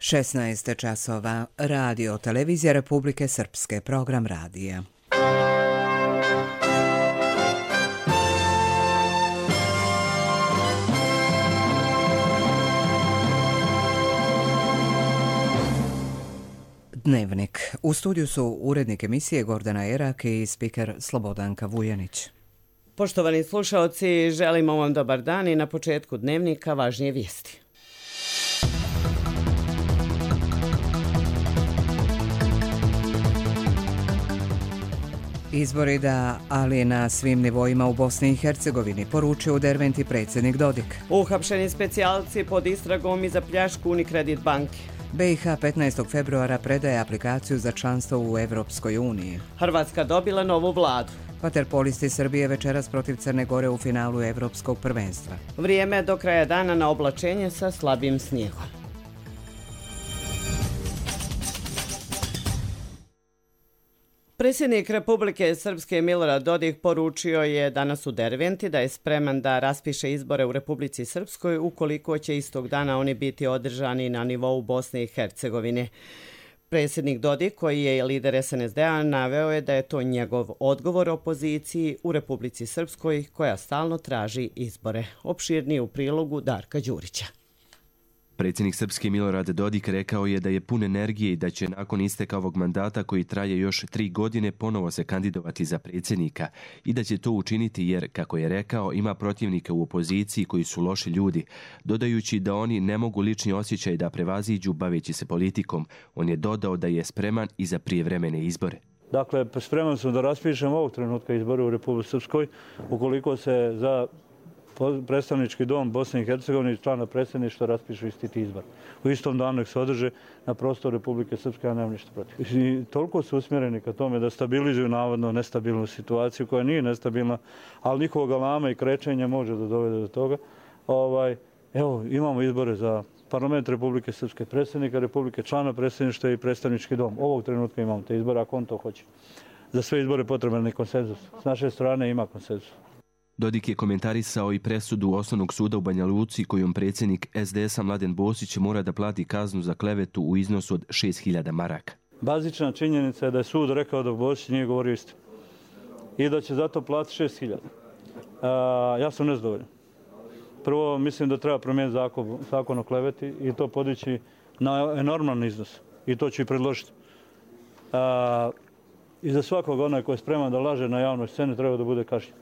16 časova, radio televizija Republike Srpske, program radija. Dnevnik. U studiju su urednik emisije Gordana Erak i spiker Slobodanka Vujanić. Poštovani slušaoci, želimo vam dobar dan i na početku dnevnika važnije vijesti. Izbori da, ali na svim nivoima u Bosni i Hercegovini, poručio u Derventi predsjednik Dodik. Uhapšeni specijalci pod istragom i za pljačku Unicredit banke. BiH 15. februara predaje aplikaciju za članstvo u Evropskoj uniji. Hrvatska dobila novu vladu. Vaterpolisti Srbije večeras protiv Crne Gore u finalu Evropskog prvenstva. Vrijeme do kraja dana na oblačenje sa slabim snijegom. Predsjednik Republike Srpske Milorad Dodik poručio je danas u Derventi da je spreman da raspiše izbore u Republici Srpskoj ukoliko će istog dana oni biti održani na nivou Bosne i Hercegovine. Predsjednik Dodik, koji je lider SNSD-a, naveo je da je to njegov odgovor opoziciji u Republici Srpskoj koja stalno traži izbore. Opširnije u prilogu Darka Đurića. Predsjednik Srpske Milorad Dodik rekao je da je pun energije i da će nakon isteka ovog mandata koji traje još 3 godine ponovo se kandidovati za predsjednika i da će to učiniti jer, kako je rekao, ima protivnike u opoziciji koji su loši ljudi, dodajući da oni ne mogu lični osjećaj da prevaziđu baveći se politikom. On je dodao da je spreman i za prijevremene izbore. Dakle, spreman sam da raspišem ovog trenutka izbore u Republici Srpskoj ukoliko se za predstavnički dom Bosne i Hercegovine i člana predsjedništva raspišu isti ti izbor. U istom danu ih se održe na prostoru Republike Srpske, ja nemam ništa protiv. I toliko su usmjereni ka tome da stabilizuju navodno nestabilnu situaciju koja nije nestabilna, ali njihovog galama i krečenja može da dovede do toga. Evo, imamo izbore za parlament Republike Srpske, predsjednika Republike, člana predsjedništva i predstavnički dom. Ovog trenutka imamo te izbore, ako on to hoće. Za sve izbore potreban je konsenzus. S naše strane ima konsenzus. Dodik je komentarisao i presudu Osnovnog suda u Banja Luci kojom predsjednik SDS-a Mladen Bosić mora da plati kaznu za klevetu u iznosu od 6.000 maraka. Bazična činjenica je da je sud rekao da Bosić nije govorio istinu i da će zato platiti 6.000. Ja sam nezadovoljan. Prvo, mislim da treba promijeniti zakon o kleveti i to podići na enorman iznos. I to ću i predložiti. I za svakog onaj koji je spreman da laže na javnoj sceni treba da bude kažnjen.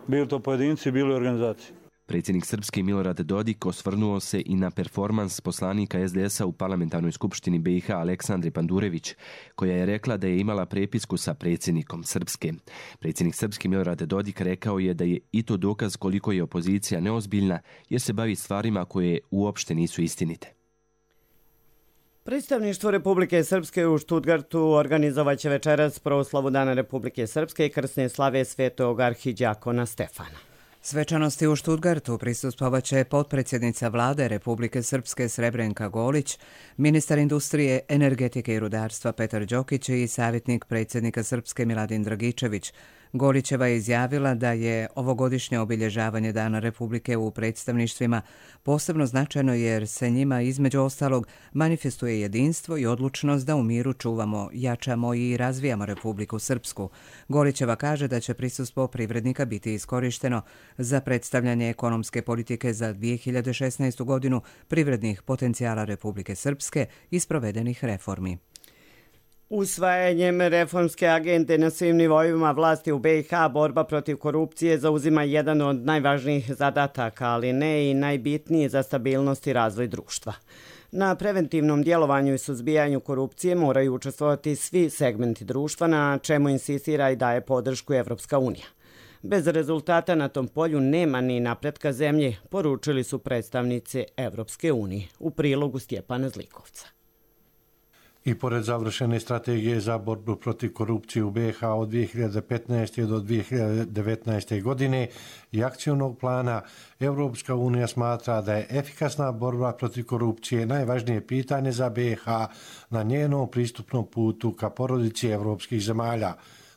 Bili to pojedinci, bili organizacije. Predsjednik Srpske Milorad Dodik osvrnuo se i na performans poslanika SDS-a u parlamentarnoj skupštini BiH Aleksandre Pandurević, koja je rekla da je imala prepisku sa predsjednikom Srpske. Predsjednik Srpske Milorad Dodik rekao je da je i to dokaz koliko je opozicija neozbiljna jer se bavi stvarima koje uopšte nisu istinite. Predstavništvo Republike Srpske u Štutgartu organizovaće večeras proslavu Dana Republike Srpske i krsne slave svetog arhidjakona Stefana. Svečanosti u Štutgartu prisustvovaće potpredsjednica vlade Republike Srpske Srebrenka Golić, ministar industrije, energetike i rudarstva Petar Đokić i savjetnik predsjednika Srpske Miladin Dragičević. Golićeva je izjavila da je ovogodišnje obilježavanje Dana Republike u predstavništvima posebno značajno jer se njima između ostalog manifestuje jedinstvo i odlučnost da u miru čuvamo, jačamo i razvijamo Republiku Srpsku. Golićeva kaže da će prisustvo privrednika biti iskorišteno za predstavljanje ekonomske politike za 2016. godinu, privrednih potencijala Republike Srpske i sprovedenih reformi. Usvajanjem reformske agende na svim nivoima vlasti u BiH borba protiv korupcije zauzima jedan od najvažnijih zadataka, ali ne i najbitniji za stabilnost i razvoj društva. Na preventivnom djelovanju i suzbijanju korupcije moraju učestvovati svi segmenti društva, na čemu insistira i daje podršku Evropska unija. Bez rezultata na tom polju nema ni napretka zemlje, poručili su predstavnici Evropske unije u prilogu Stjepana Zlikovca. I pored završene strategije za borbu protiv korupcije u BiH od 2015. do 2019. godine i akcionog plana, Evropska unija smatra da je efikasna borba protiv korupcije najvažnije pitanje za BiH na njenom pristupnom putu ka porodici evropskih zemalja.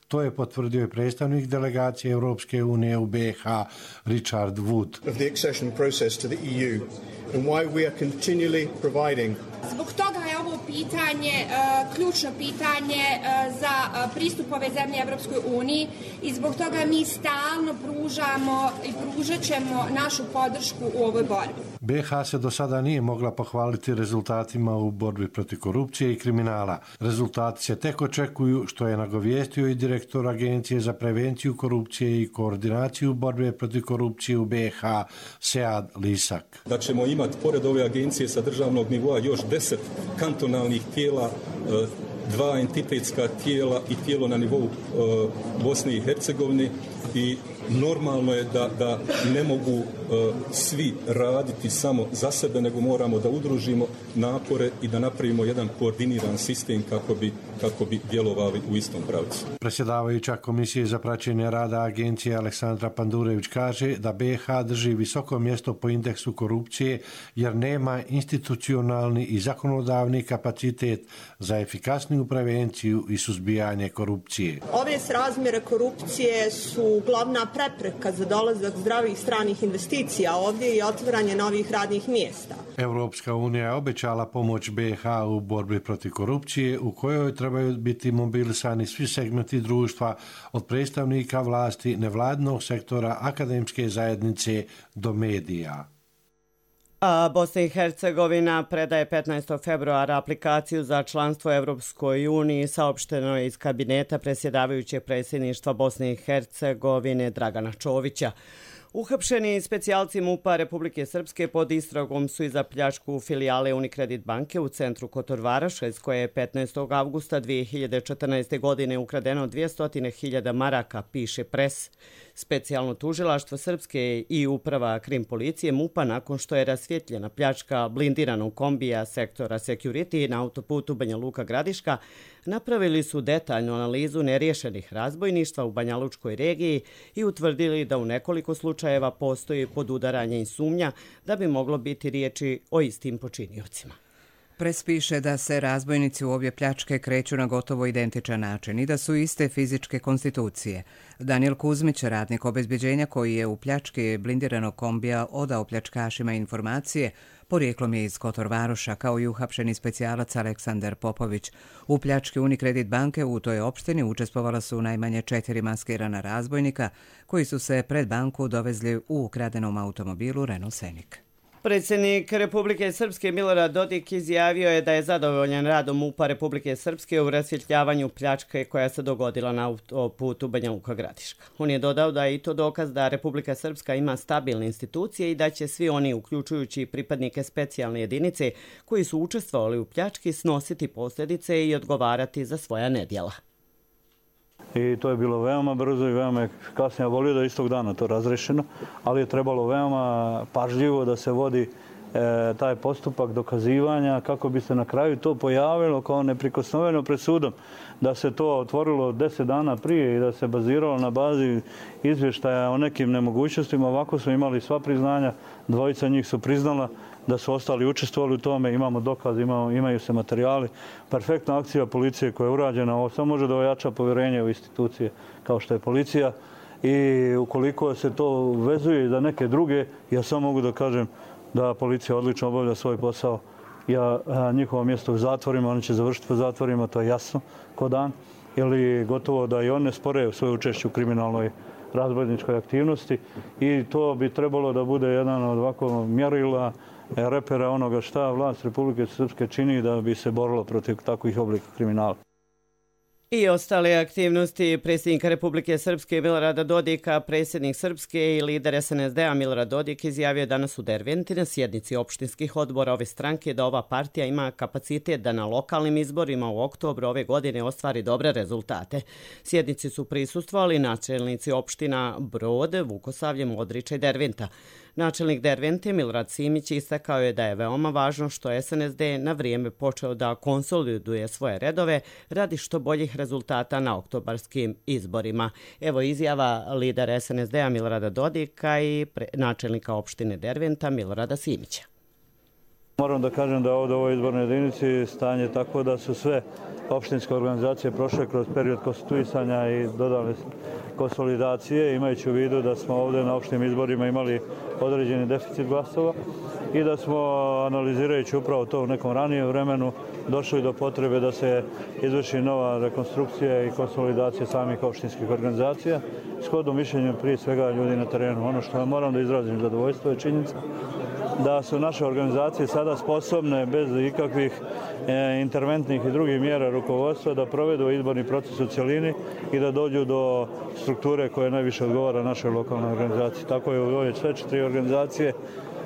To je potvrdio i predstavnik delegacije Evropske unije u BiH Richard Wood. Of the accession process to the EU and why we are continually providing Zbog toga je ovo pitanje ključno pitanje za pristup ove zemlje Evropskoj uniji i zbog toga mi stalno pružamo i pružat ćemo našu podršku u ovoj borbi. BiH se do sada nije mogla pohvaliti rezultatima u borbi protiv korupcije i kriminala. Rezultati se tek očekuju, što je nagovijestio i direktor Agencije za prevenciju korupcije i koordinaciju borbe protiv korupcije u BiH, Sead Lisak. Da ćemo imati pored ove agencije sa državnog nivoa još 10 kantonalnih tijela, 2 entitetska tijela i tijelo na nivou Bosne i Hercegovine i normalno je da ne mogu svi raditi samo za sebe, nego moramo da udružimo napore i da napravimo jedan koordiniran sistem kako bi djelovali u istom pravcu. Predsjedavajuća Komisije za praćenje rada agencije Aleksandra Pandurević kaže da BiH drži visoko mjesto po indeksu korupcije jer nema institucionalni i zakonodavni kapacitet za efikasniju prevenciju i suzbijanje korupcije. Ove srazmjere korupcije su glavna prepreka za dolazak zdravih stranih investicija ovdje i otvaranje novih radnih mjesta. Europska unija je obećala pomoć BiH u borbi protiv korupcije u kojoj trebaju biti mobilisani svi segmenti društva od predstavnika vlasti, nevladinog sektora, akademske zajednice do medija. Bosna i Hercegovina predaje 15. februara aplikaciju za članstvo Evropskoj uniji, saopšteno je iz kabineta predsjedavajućeg predsjedništva Bosne i Hercegovine Dragana Čovića. Uhapšeni specijalci MUP-a Republike Srpske pod istragom su i za pljačku filijale Unicredit banke u centru Kotor Varoša, iz koje je 15. avgusta 2014. godine ukradeno 200.000 maraka, piše Pres. Specijalno tužilaštvo Srpske i uprava Krim policije MUP-a nakon što je rasvjetljena pljačka blindiranog kombija sektora Security na autoputu Banja Luka-Gradiška, napravili su detaljnu analizu neriješenih razbojništva u Banja Lučkoj regiji i utvrdili da u nekoliko slučajeva postoji podudaranje i sumnja da bi moglo biti riječi o istim počiniocima. Pres piše da se razbojnici u obje pljačke kreću na gotovo identičan način i da su iste fizičke konstitucije. Danijel Kuzmić, radnik obezbeđenja koji je u pljački blindiranog kombija odao pljačkašima informacije, porijeklom je iz Kotor Varoša, kao i uhapšeni specijalac Aleksandar Popović. U pljački Unicredit banke u toj opštini učestvovala su najmanje 4 maskirana razbojnika koji su se pred banku dovezli u ukradenom automobilu Renault Scenic. Predsjednik Republike Srpske Milorad Dodik izjavio je da je zadovoljan radom MUP-a Republike Srpske u rasvjetljavanju pljačke koja se dogodila na autoputu Banja Luka-Gradiška. On je dodao da je i to dokaz da Republika Srpska ima stabilne institucije i da će svi oni, uključujući pripadnike specijalne jedinice koji su učestvovali u pljački, snositi posljedice i odgovarati za svoja nedjela. I to je bilo veoma brzo i veoma efikasno. Ja volio da je istog dana to razrešeno, ali je trebalo veoma pažljivo da se vodi taj postupak dokazivanja kako bi se na kraju to pojavilo kao neprikosnoveno pred sudom. Da se to otvorilo 10 dana prije i da se baziralo na bazi izvještaja o nekim nemogućnostima. Ovako smo imali sva priznanja, dvojica njih su priznala da su ostali učestvovali u tome, imamo dokaz, imaju se materijali. Perfektna akcija policije koja je urađena, ovo samo može da ojača povjerenje u institucije kao što je policija i ukoliko se to vezuje za neke druge, ja samo mogu da kažem da policija odlično obavlja svoj posao. Ja njihovo mjesto u zatvorima, oni će završiti u zatvorima, to je jasno ko dan, ili gotovo da i one spore svoje učešće u kriminalnoj razbojničkoj aktivnosti i to bi trebalo da bude jedan od ovako mjerila repera onoga šta vlast Republike Srpske čini da bi se borilo protiv takvih oblika kriminala. I ostale aktivnosti predsjednika Republike Srpske Milorada Dodika, predsjednik Srpske i lider SNSD-a Milorad Dodik izjavio danas u Derventi na sjednici opštinskih odbora ove stranke da ova partija ima kapacitet da na lokalnim izborima u oktobru ove godine ostvari dobre rezultate. Sjednici su prisustvovali načelnici opština Brod, Vukosavlje, Modriča i Derventa. Načelnik Dervente Milorad Simić istakao je da je veoma važno što SNSD na vrijeme počeo da konsoliduje svoje redove radi što boljih rezultata na oktobarskim izborima. Evo izjava lidera SNSD-a Milorada Dodika i načelnika opštine Derventa Milorada Simića. Moram da kažem da ovdje u ovoj izbornoj jedinici stanje tako da su sve opštinske organizacije prošle kroz period konstituisanja i dodale konsolidacije, imajući u vidu da smo ovdje na opštim izborima imali određeni deficit glasova i da smo, analizirajući upravo to u nekom ranijem vremenu, došli do potrebe da se izvrši nova rekonstrukcija i konsolidacija samih opštinskih organizacija, shodno mišljenju prije svega ljudi na terenu. Ono što moram da izrazim zadovoljstvo je činjenica da su naše organizacije sada sposobne bez ikakvih interventnih i drugih mjera rukovodstva da provedu izborni proces u cjelini i da dođu do strukture koja najviše odgovara našoj lokalnoj organizaciji. Tako je u ove sve 4 organizacije.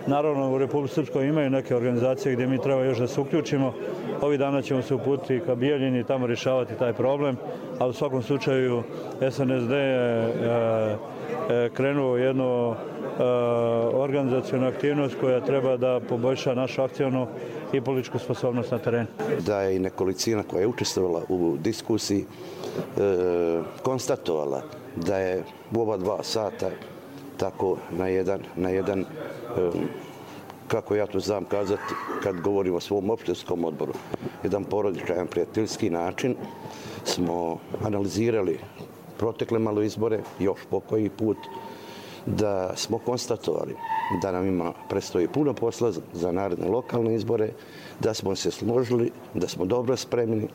Naravno, u Republici Srpskoj imaju neke organizacije gdje mi treba još da se uključimo. Ovih dana ćemo se uputiti ka Bijeljini i tamo rješavati taj problem, a u svakom slučaju SNSD je krenuo jednu organizacijonu aktivnost koja treba da poboljša našu akcijnu i političku sposobnost na terenu. Da je i nekolicina koja je učestvovala u diskusiji konstatovala da je u ova 2 sata tako na jedan kako ja to znam kazati kad govorim o svom opštinskom odboru, jedan porodičan, prijateljski način smo analizirali protekle malo izbore, još po koji put, da smo konstatovali da nam predstoji puno posla za naredne lokalne izbore, da smo se složili, da smo dobro spremni,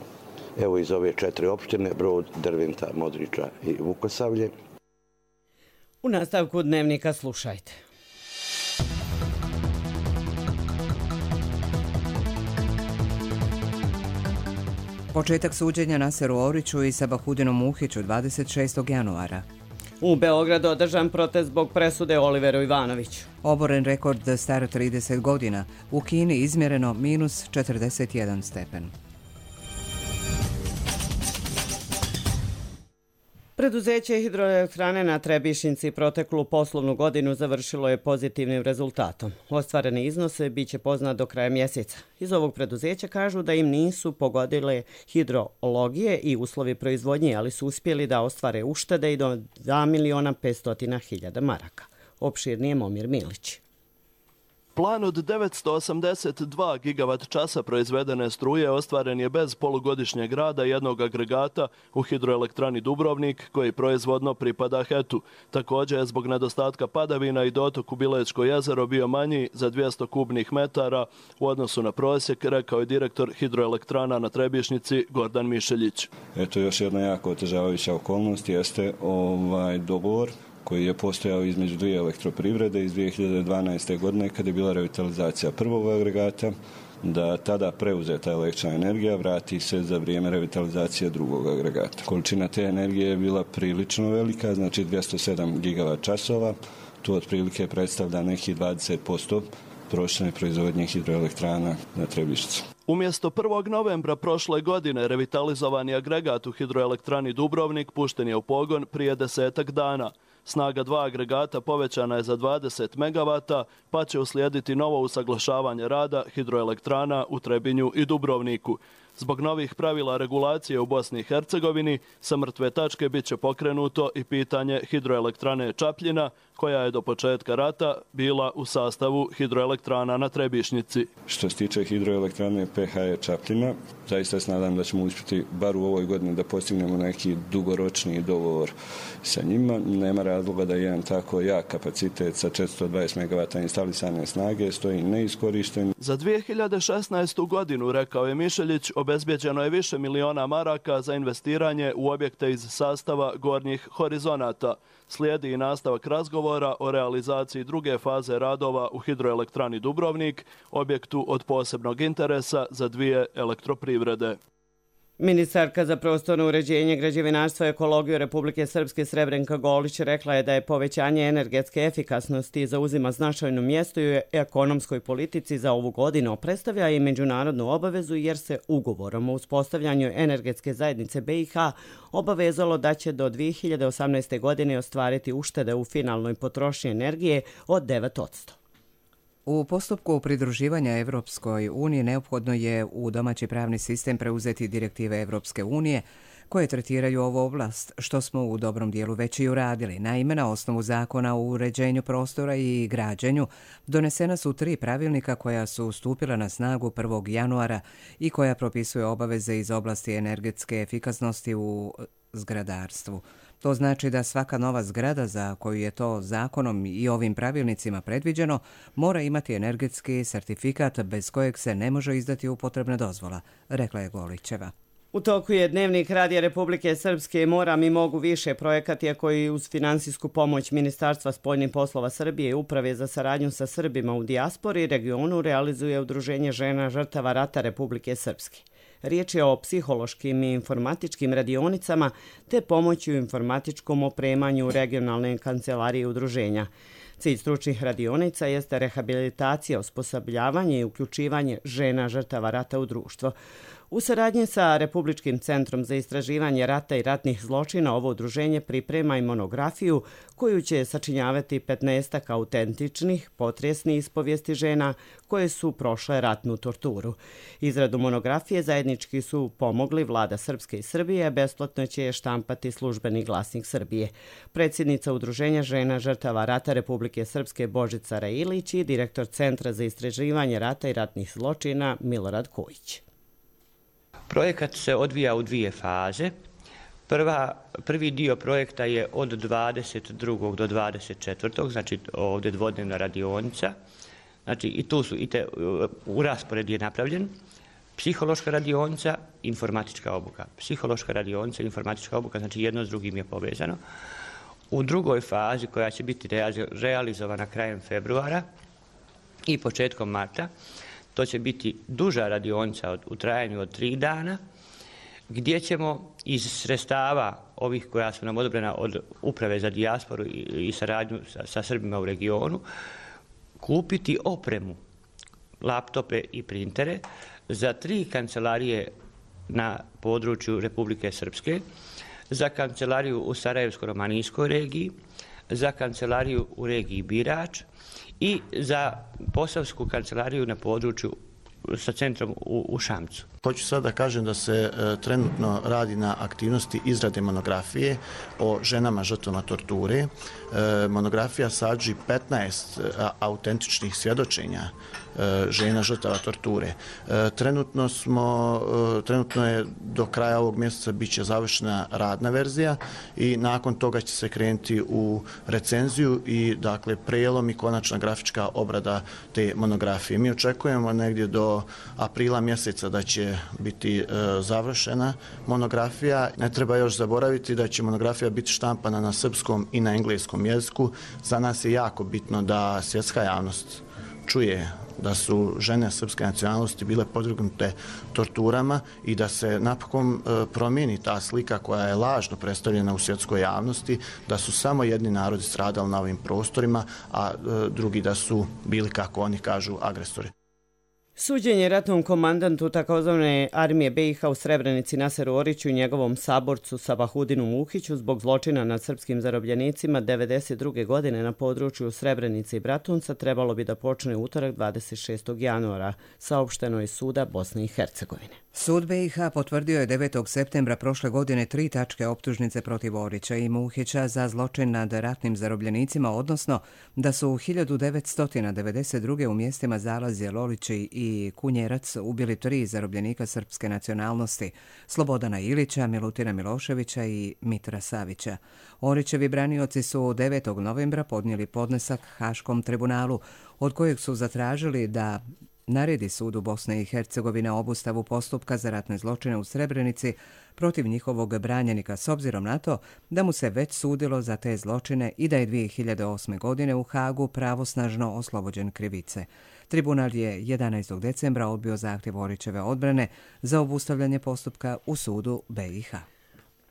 evo iz ove 4 opštine, Brod, Derventa, Modriča i Vukosavlje. U nastavku Dnevnika slušajte. Početak suđenja Naseru Oriću i Sabahudinu Muhiću 26. januara. U Beogradu održan protest zbog presude Oliveru Ivanoviću. Oboren rekord star 30 godina. U Kini izmjereno minus 41 stepen. Preduzeće hidroelektrane na Trebišnjici proteklu poslovnu godinu završilo je pozitivnim rezultatom. Ostvareni iznose biće poznat do kraja mjeseca. Iz ovog preduzeća kažu da im nisu pogodile hidrologije i uslovi proizvodnje, ali su uspjeli da ostvare uštede i do 2.500.000 maraka. Opširnije Momir Milić. Plan od 982 gigavat časa proizvedene struje ostvaren je bez polugodišnjeg rada jednog agregata u hidroelektrani Dubrovnik, koji proizvodno pripada HET-u. Također je zbog nedostatka padavina i dotok u Bilečko jezero bio manji za 200 kubnih metara u odnosu na prosjek, rekao je direktor hidroelektrana na Trebišnjici Gordan Mišeljić. Eto, još jedna jako otežavajuća okolnost jeste dogovor koji je postojao između 2 elektroprivrede iz 2012. godine kada je bila revitalizacija prvog agregata, da tada preuzeta električna energija vrati se za vrijeme revitalizacije drugog agregata. Količina te energije je bila prilično velika, znači 207 gigavat časova, to otprilike predstavlja nekih 20% prosječne proizvodnje hidroelektrana na Trebišnjici. Umjesto 1. novembra prošle godine revitalizovani agregat u hidroelektrani Dubrovnik pušten je u pogon prije 10 dana. Snaga 2 agregata povećana je za 20 megavata, pa će uslijediti novo usaglašavanje rada hidroelektrana u Trebinju i Dubrovniku. Zbog novih pravila regulacije u Bosni i Hercegovini sa mrtve tačke bit će pokrenuto i pitanje hidroelektrane Čapljina, koja je do početka rata bila u sastavu hidroelektrana na Trebišnjici. Što se tiče hidroelektrane PHE Čapljina, zaista se nadam da ćemo uspjeti bar u ovoj godini da postignemo neki dugoročni dogovor sa njima. Nema razloga da jedan tako jak kapacitet sa 420 megavata instalisane snage stoji neiskorišten. Za 2016. godinu, rekao je Mišeljić, obezbjeđeno je više miliona maraka za investiranje u objekte iz sastava gornjih horizonata. Slijedi i nastavak razgovora o realizaciji druge faze radova u hidroelektrani Dubrovnik, objektu od posebnog interesa za 2 elektroprivrede. Ministarka za prostorno uređenje, građevinarstvo i ekologiju Republike Srpske Srebrenka Golić rekla je da je povećanje energetske efikasnosti zauzima značajno mjesto i u ekonomskoj politici za ovu godinu. Predstavlja i međunarodnu obavezu jer se ugovorom o uspostavljanju energetske zajednice BiH obavezalo da će do 2018. godine ostvariti uštede u finalnoj potrošnji energije od 9%. U postupku pridruživanja Evropskoj uniji neophodno je u domaći pravni sistem preuzeti direktive Evropske unije koje tretiraju ovu oblast, što smo u dobrom dijelu već i uradili. Naime, na osnovu zakona o uređenju prostora i građenju donesena su 3 pravilnika koja su stupila na snagu 1. januara i koja propisuje obaveze iz oblasti energetske efikasnosti u zgradarstvu. To znači da svaka nova zgrada za koju je to zakonom i ovim pravilnicima predviđeno mora imati energetski sertifikat bez kojeg se ne može izdati upotrebna dozvola, rekla je Golićeva. U toku je Dnevnik Radija Republike Srpske Mora mi mogu više projekata koji uz finansijsku pomoć Ministarstva spoljnih poslova Srbije i Uprave za saradnju sa Srbima u dijaspori i regionu realizuje Udruženje žena žrtava rata Republike Srpske. Riječ je o psihološkim i informatičkim radionicama te pomoći u informatičkom opremanju regionalne kancelarije udruženja. Cilj stručnih radionica jeste rehabilitacija, osposobljavanje i uključivanje žena žrtava rata u društvo. U saradnji sa Republičkim centrom za istraživanje rata i ratnih zločina ovo udruženje priprema i monografiju koju će sačinjavati 15 autentičnih, potresnih ispovijesti žena koje su prošle ratnu torturu. Izradu monografije zajednički su pomogli Vlada Srpske i Srbije, a besplatno će je štampati Službeni glasnik Srbije. Predsjednica Udruženja žena žrtava rata Republike Srpske Božica Railić i direktor Centra za istraživanje rata i ratnih zločina Milorad Kojić. Projekat se odvija u dvije faze. Prvi dio projekta je od 22. do 24. znači ovdje dvodnevna radionica. Znači i tu su, u raspored je napravljen. Psihološka radionica, informatička obuka. Psihološka radionica, informatička obuka, znači jedno s drugim je povezano. U drugoj fazi koja će biti realizovana krajem februara i početkom marta, to će biti duža radionica u trajanju od 3 dana, gdje ćemo iz sredstava ovih koja su nam odobrena od Uprave za dijasporu i saradnju sa Srbima u regionu, kupiti opremu, laptope i printere za 3 kancelarije na području Republike Srpske, za kancelariju u Sarajevsko-romanijskoj regiji, za kancelariju u regiji Birač i za posavsku kancelariju na području sa centrom u Šamcu. Hoću sad da kažem da se trenutno radi na aktivnosti izrade monografije o ženama žrtvama torture. Monografija sadrži 15 autentičnih svjedočenja žena žrtava torture. Trenutno je do kraja ovog mjeseca bit će završena radna verzija i nakon toga će se krenuti u recenziju i dakle prelom i konačna grafička obrada te monografije. Mi očekujemo negdje do aprila mjeseca da će biti završena monografija. Ne treba još zaboraviti da će monografija biti štampana na srpskom i na engleskom jeziku. Za nas je jako bitno da svjetska javnost čuje da su žene srpske nacionalnosti bile podvrgnute torturama i da se napokon promijeni ta slika koja je lažno predstavljena u svjetskoj javnosti, da su samo jedni narodi stradali na ovim prostorima, a drugi da su bili, kako oni kažu, agresori. Suđenje ratnom komandantu takozvane armije BiH u Srebrenici Naseru Oriću i njegovom saborcu Sabahudinu Muhiću zbog zločina nad srpskim zarobljenicima 1992. godine na području Srebrenice i Bratunca trebalo bi da počne utorak 26. januara, saopšteno iz suda Bosne i Hercegovine. Sud BiH potvrdio je 9. septembra prošle godine 3 tačke optužnice protiv Orića i Muhića za zločin nad ratnim zarobljenicima, odnosno da su u 1992. u mjestima Zalazje, Lolići i Kunjerac ubili 3 zarobljenika srpske nacionalnosti, Slobodana Ilića, Milutina Miloševića i Mitra Savića. Orićevi branioci su 9. novembra podnijeli podnesak Haškom tribunalu, od kojeg su zatražili da naredi sudu Bosne i Hercegovine obustavu postupka za ratne zločine u Srebrenici protiv njihovog branjenika, s obzirom na to da mu se već sudilo za te zločine i da je 2008. godine u Hagu pravosnažno oslobođen krivice. Tribunal je 11. decembra odbio zahtjev Orićeve odbrane za obustavljanje postupka u sudu BiH.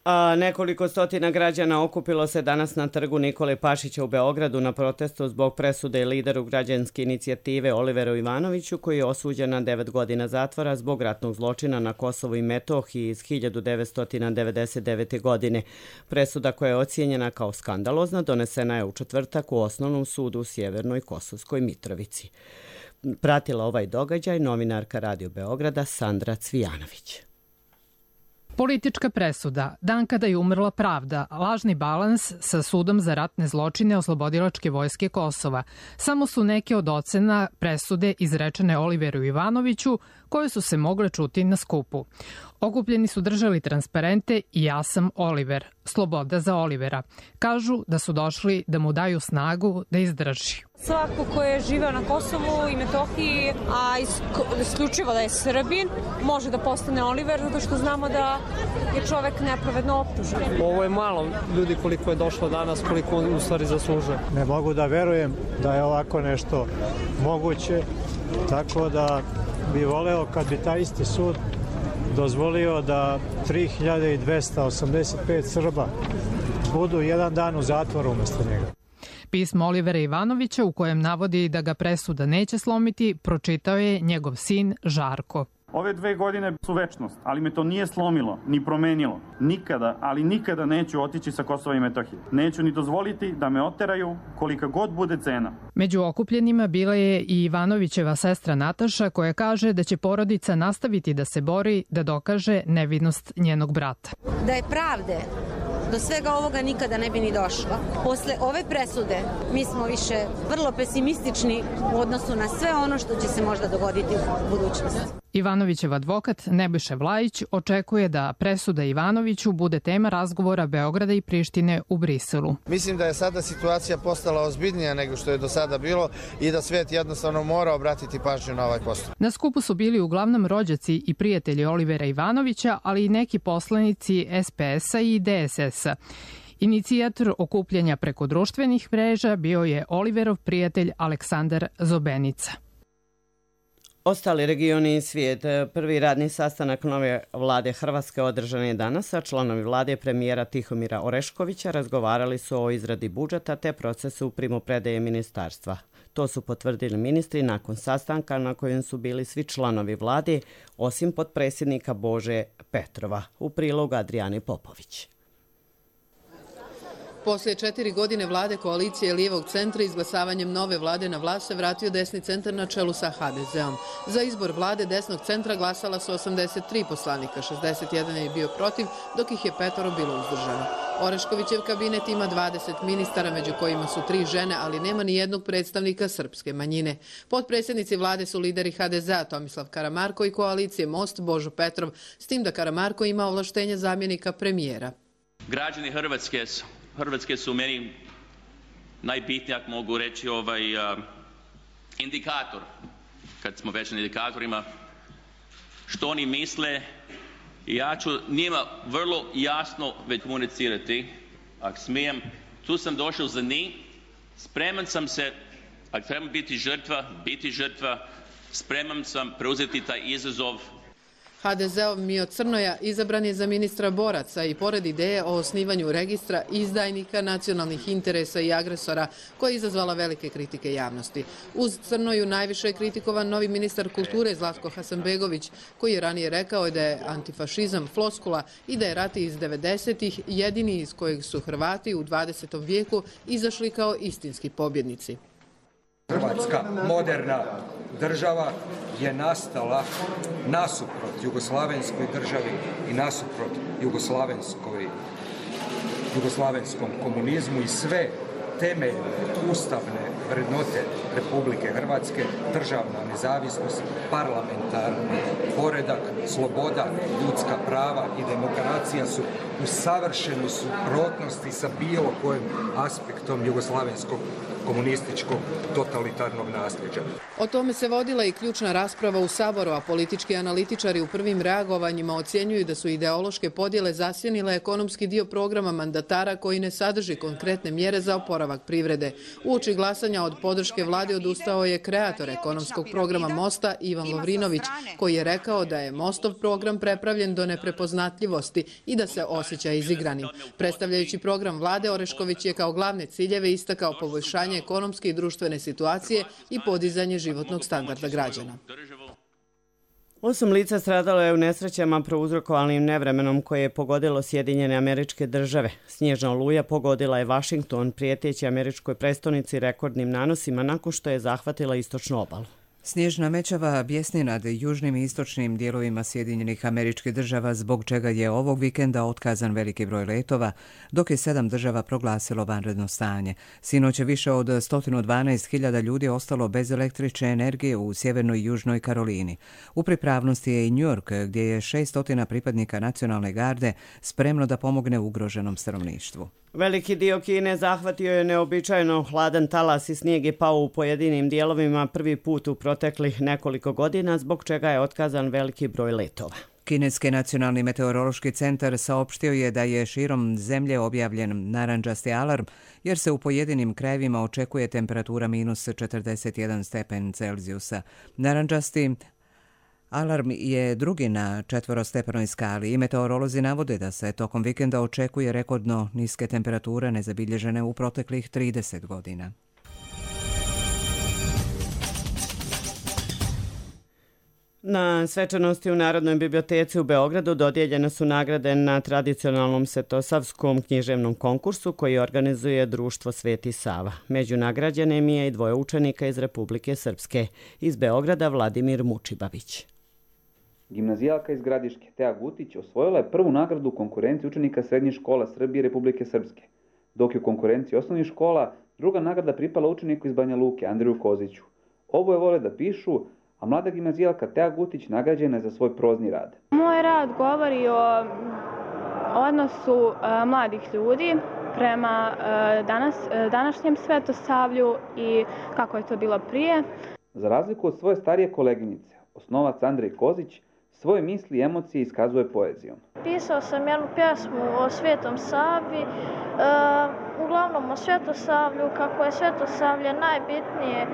A nekoliko stotina građana okupilo se danas na trgu Nikole Pašića u Beogradu na protestu zbog presude lideru građanske inicijative Oliveru Ivanoviću, koji je osuđen na 9 godina zatvora zbog ratnog zločina na Kosovu i Metohiji iz 1999. godine. Presuda koja je ocijenjena kao skandalozna donesena je u četvrtak u Osnovnom sudu u Sjevernoj Kosovskoj Mitrovici. Pratila ovaj događaj novinarka Radio Beograda Sandra Cvijanović. Politička presuda, dan kada je umrla pravda, lažni balans sa sudom za ratne zločine Oslobodilačke vojske Kosova. Samo su neke od ocena presude izrečene Oliveru Ivanoviću koje su se mogle čuti na skupu. Okupljeni su držali transparente i ja sam Oliver, sloboda za Olivera. Kažu da su došli da mu daju snagu da izdrži. Svako ko je živeo na Kosovu i Metohiji, a isključivo da je Srbin, može da postane Oliver, zato što znamo da je čovek nepravedno optužen. Ovo je malo ljudi koliko je došlo danas, koliko u stvari zaslužuje. Ne mogu da verujem da je ovako nešto moguće, tako da bi voleo kad bi taj isti sud dozvolio da 3285 Srba budu jedan dan u zatvoru umjesto njega. Pismo Olivera Ivanovića, u kojem navodi da ga presuda neće slomiti, pročitao je njegov sin Žarko. Ove 2 godine su večnost, ali me to nije slomilo, ni promenilo. Nikada, ali nikada neću otići sa Kosova i Metohije. Neću ni dozvoliti da me oteraju kolika god bude cena. Među okupljenima bila je i Ivanovićeva sestra Nataša, koja kaže da će porodica nastaviti da se bori da dokaže nevinost njenog brata. Da je pravde, do svega ovoga nikada ne bi ni došlo. Posle ove presude mi smo više vrlo pesimistični u odnosu na sve ono što će se možda dogoditi u budućnosti. Ivanovićev advokat Nebojša Vlajić očekuje da presuda Ivanoviću bude tema razgovora Beograda i Prištine u Briselu. Mislim da je sada situacija postala ozbiljnija nego što je do sada bilo i da svet jednostavno mora obratiti pažnju na ovaj postupak. Na skupu su bili uglavnom rođaci i prijatelji Olivera Ivanovića, ali i neki poslanici SPS-a i DSS-a. Inicijator okupljanja preko društvenih mreža bio je Oliverov prijatelj Aleksandar Zobenica. Ostali regioni i svijet. Prvi radni sastanak nove vlade Hrvatske održan je danas, a članovi vlade premijera Tihomira Oreškovića razgovarali su o izradi budžeta te procesu primopredaje ministarstva. To su potvrdili ministri nakon sastanka na kojem su bili svi članovi vlade, osim potpredsjednika Bože Petrova. U prilogu Adrijane Popović. Poslije 4 godine vlade koalicije lijevog centra izglasavanjem nove vlade na vlast se vratio desni centar na čelu sa HDZ-om. Za izbor vlade desnog centra glasala su 83 poslanika, 61 je bio protiv, dok ih je 5 bilo uzdržano. Oreškovićev kabinet ima 20 ministara, među kojima su 3 žene, ali nema ni jednog predstavnika srpske manjine. Potpredsjednici vlade su lideri HDZ-a Tomislav Karamarko i koalicije Most Božo Petrov, s tim da Karamarko ima ovlaštenje zamjenika premijera. Građani Hrvatske su meni najbitniji, ako mogu reći, indikator, kad smo već na indikatorima, što oni misle. Ja ću njima vrlo jasno već komunicirati, ako smijem. Tu sam došao za njih, spreman sam se, ako treba biti žrtva, spreman sam preuzeti taj izazov. HDZ-ov Mio Crnoja izabran je za ministra boraca i pored ideje o osnivanju registra izdajnika, nacionalnih interesa i agresora, koja je izazvala velike kritike javnosti. Uz Crnoju najviše je kritikovan novi ministar kulture Zlatko Hasanbegović, koji je ranije rekao da je antifašizam floskula i da je rat iz 90-ih jedini iz kojeg su Hrvati u 20. vijeku izašli kao istinski pobjednici. Hrvatska moderna država je nastala nasuprot jugoslavenskoj državi i nasuprot jugoslavenskom komunizmu i sve temeljne ustavne vrednote Republike Hrvatske, državna nezavisnost, parlamentarni poredak, sloboda, ljudska prava i demokracija su u savršenoj suprotnosti sa bilo kojim aspektom jugoslavenskog komunističkog totalitarnog nasljeđa. O tome se vodila i ključna rasprava u Saboru, a politički analitičari u prvim reagovanjima ocjenjuju da su ideološke podjele zasjenile ekonomski dio programa mandatara koji ne sadrži konkretne mjere za oporavak privrede. Uoči glasanja od podrške vlade odustao je kreator ekonomskog programa Mosta Ivan Lovrinović, koji je rekao da je Mostov program prepravljen do neprepoznatljivosti i da se osjeća izigranim. Predstavljajući program vlade, Orešković je kao glavne ciljeve istakao poboljšanje ekonomske i društvene situacije i podizanje životnog standarda građana. 8 lica stradalo je u nesrećama prouzrokovanim nevremenom koje je pogodilo Sjedinjene Američke Države. Snježna oluja pogodila je Vašington, prijeteći američkoj prestonici rekordnim nanosima nakon što je zahvatila istočnu obalu. Snježna mećava bjesni nad južnim i istočnim dijelovima Sjedinjenih Američkih Država, zbog čega je ovog vikenda otkazan veliki broj letova, dok je 7 država proglasilo vanredno stanje. Sinoć je više od 112.000 ljudi ostalo bez električne energije u sjevernoj i južnoj Karolini. U pripravnosti je i New York, gdje je 600 pripadnika nacionalne garde spremno da pomogne ugroženom stanovništvu. Veliki dio Kine zahvatio je neobičajno hladan talas i snijeg je pao u pojedinim dijelovima prvi put u proteklih nekoliko godina, zbog čega je otkazan veliki broj letova. Kineski nacionalni meteorološki centar saopštio je da je širom zemlje objavljen narandžasti alarm, jer se u pojedinim krajevima očekuje temperatura minus 41 stepen Celzijusa. Narandžasti alarm je drugi na 4-stepenoj skali i meteorolozi navode da se tokom vikenda očekuje rekordno niske temperature nezabilježene u proteklih 30 godina. Na svečanosti u Narodnoj biblioteci u Beogradu dodijeljene su nagrade na tradicionalnom svetosavskom književnom konkursu koji organizuje Društvo Sveti Sava. Među nagrađenim je i 2 učenika iz Republike Srpske. Iz Beograda Vladimir Mučibavić. Gimnazijalka iz Gradiške, Teja Gutić, osvojila je prvu nagradu u konkurenciji učenika srednjih škola Srbije i Republike Srpske, dok je u konkurenciji osnovnih škola druga nagrada pripala učeniku iz Banja Luke, Andriju Koziću. Oboje vole da pišu, a mlada gimnazijalka Teja Gutić nagrađena je za svoj prozni rad. Moj rad govori o odnosu mladih ljudi prema današnjem svetosavlju i kako je to bilo prije. Za razliku od svoje starije koleginice, osnovac Andrej Kozić svoje misli i emocije iskazuje poezijom. Pisao sam jednu pjesmu o Svetom Savi, uglavnom o Svetosavlju, kako je Svetosavlje najbitnije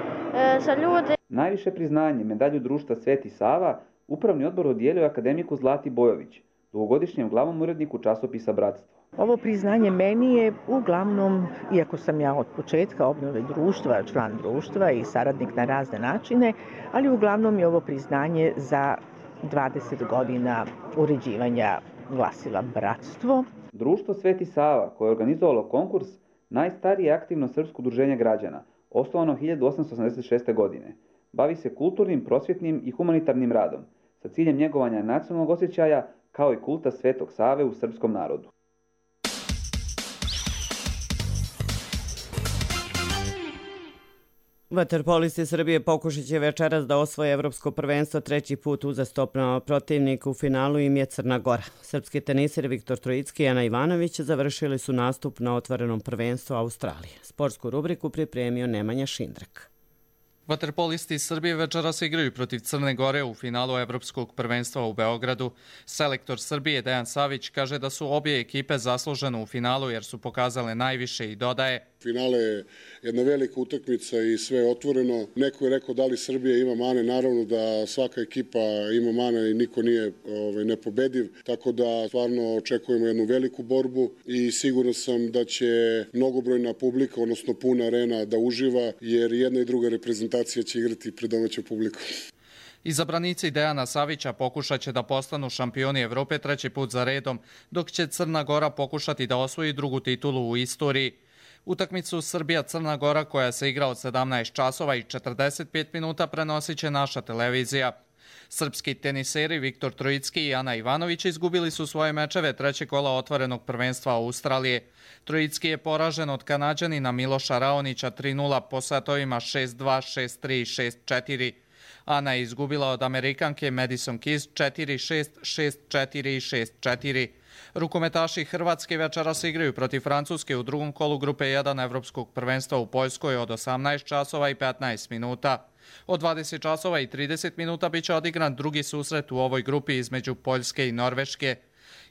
za ljude. Najviše priznanje, medalju društva Sveti Sava, upravni odbor dodijelio akademiku Zlati Bojović, dugogodišnjem glavnom uredniku časopisa Bratstvo. Ovo priznanje meni je uglavnom, iako sam ja od početka obnove društva, član društva i saradnik na razne načine, ali uglavnom je ovo priznanje za 20 godina uređivanja glasila Bratstvo. Društvo Sveti Sava, koje je organizovalo konkurs, najstarije aktivno srpsko udruženje građana, osnovano 1886. godine. Bavi se kulturnim, prosvjetnim i humanitarnim radom, sa ciljem njegovanja nacionalnog osjećaja kao i kulta Svetog Save u srpskom narodu. Vaterpolisti Srbije pokušat će večeras da osvoje evropsko prvenstvo 3. put uzastopno. Protivnik u finalu im je Crna Gora. Srpski teniseri Viktor Trojicki i Ana Ivanović završili su nastup na otvorenom prvenstvu Australije. Sportsku rubriku pripremio Nemanja Šindrak. Vaterpolisti Srbije večeras igraju protiv Crne Gore u finalu evropskog prvenstva u Beogradu. Selektor Srbije Dejan Savić kaže da su obje ekipe zaslužene u finalu jer su pokazale najviše i dodaje: Finale je jedna velika utakmica i sve je otvoreno. Neko je rekao da li Srbija ima mane, naravno da svaka ekipa ima mane i niko nije nepobediv, tako da stvarno očekujemo jednu veliku borbu i siguran sam da će mnogobrojna publika, odnosno puna arena da uživa, jer jedna i druga reprezentacija će igrati pred domaćom publikom. Izabranici Dejana Savića pokušat će da postanu šampioni Evrope 3. put za redom, dok će Crna Gora pokušati da osvoji drugu titulu u istoriji. Utakmicu Srbija-Crna Gora, koja se igra od 17 časova i 45 minuta, prenosit će naša televizija. Srpski teniseri Viktor Trojicki i Ana Ivanović izgubili su svoje mečeve 3. kola otvorenog prvenstva Australije. Trojicki je poražen od Kanađanina Miloša Raonića 3:0 po setovima 6-2, 6-3 i 6-4. Ana je izgubila od Amerikanke Madison Keys 4-6, 6-4 i 6-4. Rukometaši Hrvatske večeras igraju protiv Francuske u drugom kolu grupe 1 evropskog prvenstva u Poljskoj od 18 časova i 15 minuta. Od 20 časova i 30 minuta biće odigran drugi susret u ovoj grupi između Poljske i Norveške.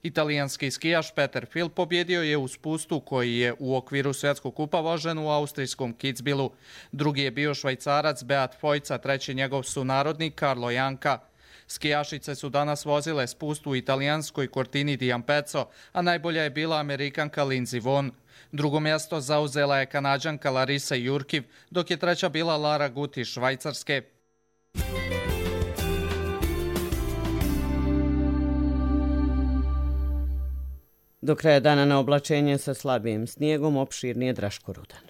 Italijanski skijaš Peter Fil pobjedio je u spustu koji je u okviru svjetskog kupa vožen u austrijskom Kitzbühelu. Drugi je bio Švajcarac Beat Fojca, treći njegov sunarodnik Carlo Janka. Skijašice su danas vozile spust u italijanskoj Cortini di Ampezzo, a najbolja je bila Amerikanka Lindsey Vonn. Drugo mjesto zauzela je Kanađanka Larisa Jurkiv, dok je treća bila Lara Gut iz Švajcarske. Do kraja dana na oblačenje sa slabijim snijegom, opširnije Draško Rudan.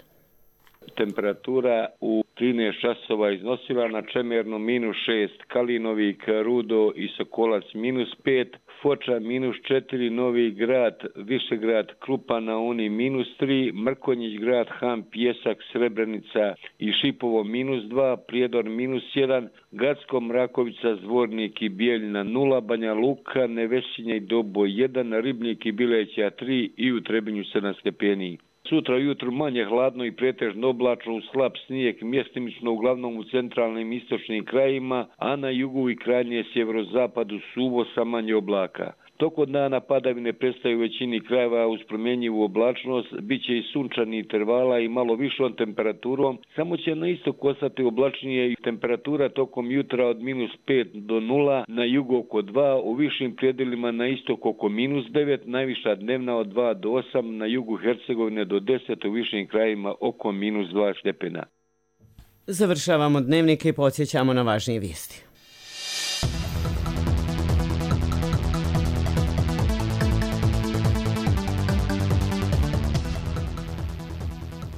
temperatura u 13 časova iznosila na Čemernu -6, Kalinovik, Rudo i Sokolac -5, Foča -4, Novi Grad, Višegrad, Krupa na Uni -3, Mrkonjić Grad, Han, Pjesak, Srebrenica i Šipovo -2, Prijedor -1, Gacko, Mrakovica, Zvornik i Bijeljina 0, Banja Luka, Nevesinje i Doboj 1, Ribnik i Bileća 3 i u Trebinju 7 stepeni. Sutra ujutru manje hladno i pretežno oblačno uz slab snijeg, mjestimično uglavnom u centralnim i istočnim krajima, a na jugu i krajnje sjeverozapadu suvo sa manje oblaka. Tokom dana padavine prestaju u većini krajeva uz promjenjivu oblačnost, bit će i sunčani intervala i malo višom temperaturom, samo će na istoku ostati oblačnije i temperatura tokom jutra od -5 do 0, na jugu oko 2, u višim predjelima na istok oko -9, najviša dnevna od 2 do 8, na jugu Hercegovine do 10, u višim krajima oko -2 stepena. Završavamo dnevnike i podsjećamo na važnije vijesti.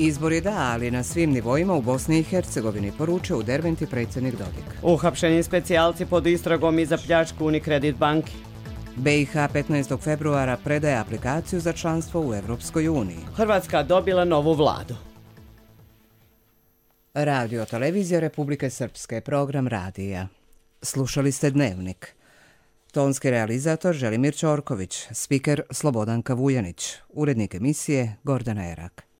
Izbori da, ali na svim nivoima u Bosni i Hercegovini, poručio u Derventi predsjednik Dodik. Uhapšeni specijalci pod istragom i za pljačku Unicredit banke. BiH 15. februara predaje aplikaciju za članstvo u Evropskoj uniji. Hrvatska dobila novu vladu. Radio Televizija Republike Srpske, program radija. Slušali ste Dnevnik. Tonski realizator Želimir Ćorković, spiker Slobodanka Vujanić, urednik emisije Gordana Erak.